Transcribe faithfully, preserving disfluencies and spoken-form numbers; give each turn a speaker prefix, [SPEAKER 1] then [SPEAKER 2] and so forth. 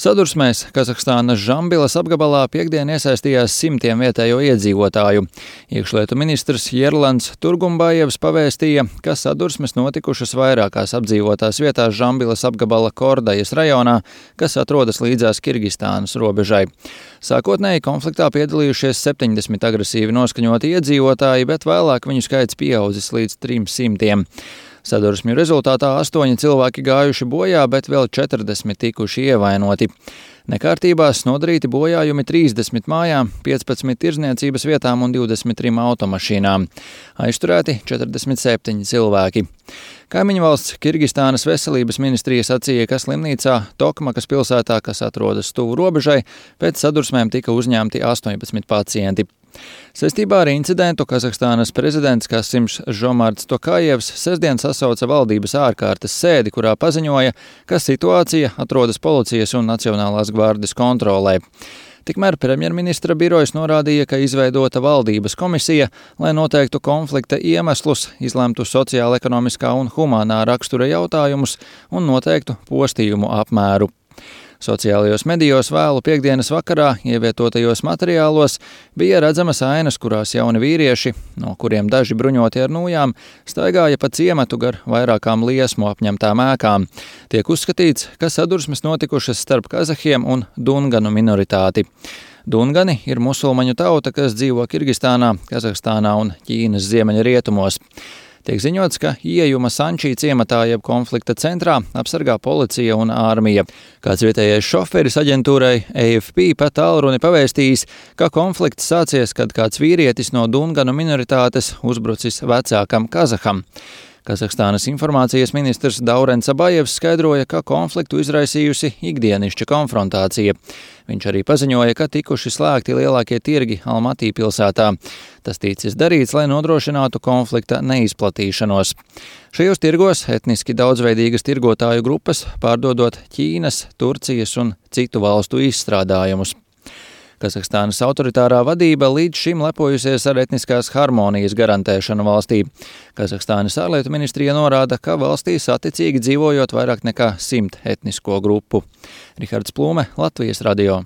[SPEAKER 1] Sadursmēs Kazahstānas Žambilas apgabalā piektdien iesaistījās simtiem vietējo iedzīvotāju. Iekšlietu ministrs Jerlans Turgumbājevs pavēstīja, ka sadursmes notikušas vairākās apdzīvotās vietās Žambilas apgabala Kordajas rajonā, kas atrodas līdzās Kirgistānas robežai. Sākotnēji konfliktā piedalījušies septiņdesmit agresīvi noskaņoti iedzīvotāji, bet vēlāk viņu skaits pieaudzis līdz trim simtiem. Sadursmju rezultātā astoņi cilvēki gājuši bojā, bet vēl četrdesmit tikuši ievainoti. Nekārtībās nodarīti bojājumi trīsdesmit mājām, piecpadsmit tirdzniecības vietām un divdesmit trim automašīnām. Aizturēti četrdesmit septiņi cilvēki. Kaimiņu valsts Kirgistānas veselības ministrija sacīja, ka slimnīcā Tokmakas pilsētā, kas atrodas tuvu robežai, pēc sadursmēm tika uzņemti astoņpadsmit pacienti. Saistībā ar incidentu Kazahstānas prezidents Kasims Žomarts Tokājevs sestdien sasauca valdības ārkārtas sēdi, kurā paziņoja, ka situācija atrodas policijas un Nacionālās gvardes kontrolē. Tikmēr premjerministra birojas norādīja, ka izveidota valdības komisija, lai noteiktu konflikta iemeslus, izlemtu sociāla-ekonomiskā un humānā rakstura jautājumus un noteiktu postījumu apmēru. Sociālajos medijos vēlu piektdienas vakarā ievietotajos materiālos bija redzamas ainas, kurās jauni vīrieši, no kuriem daži bruņoti ar nūjām, staigāja pa ciematu gar vairākām liesmu apņemtām ēkām. Tiek uzskatīts, ka sadursmes notikušas starp kazahiem un dunganu minoritāti. Dungani ir musulmaņu tauta, kas dzīvo Kirgistānā, Kazahstānā un Ķīnas ziemeļrietumos. Tiek ziņots, ka ieejuma Sančī ciematā jeb konflikta centrā apsargā policija un ārmija. Kāds vietējais šoferis aģentūrai A F P pat tālruni pavēstījis, ka konflikts sācies, kad kāds vīrietis no dunganu minoritātes uzbrucis vecākam kazaham. Kazahstānas informācijas ministrs Daurens Abajevs skaidroja, ka konfliktu izraisījusi ikdienišķa konfrontācija. Viņš arī paziņoja, ka tikuši slēgti lielākie tirgi Almatī pilsētā. Tas ticis darīts, lai nodrošinātu konflikta neizplatīšanos. Šajos tirgos etniski daudzveidīgas tirgotāju grupas pārdodot Ķīnas, Turcijas un citu valstu izstrādājumus. Kazahstānas autoritārā vadība līdz šim lepojusies ar etniskās harmonijas garantēšanu valstī. Kazahstānas ārlietu ministrija norāda, ka valstī saticīgi dzīvojot vairāk nekā simt etnisko grupu. Rihards Plūme, Latvijas radio.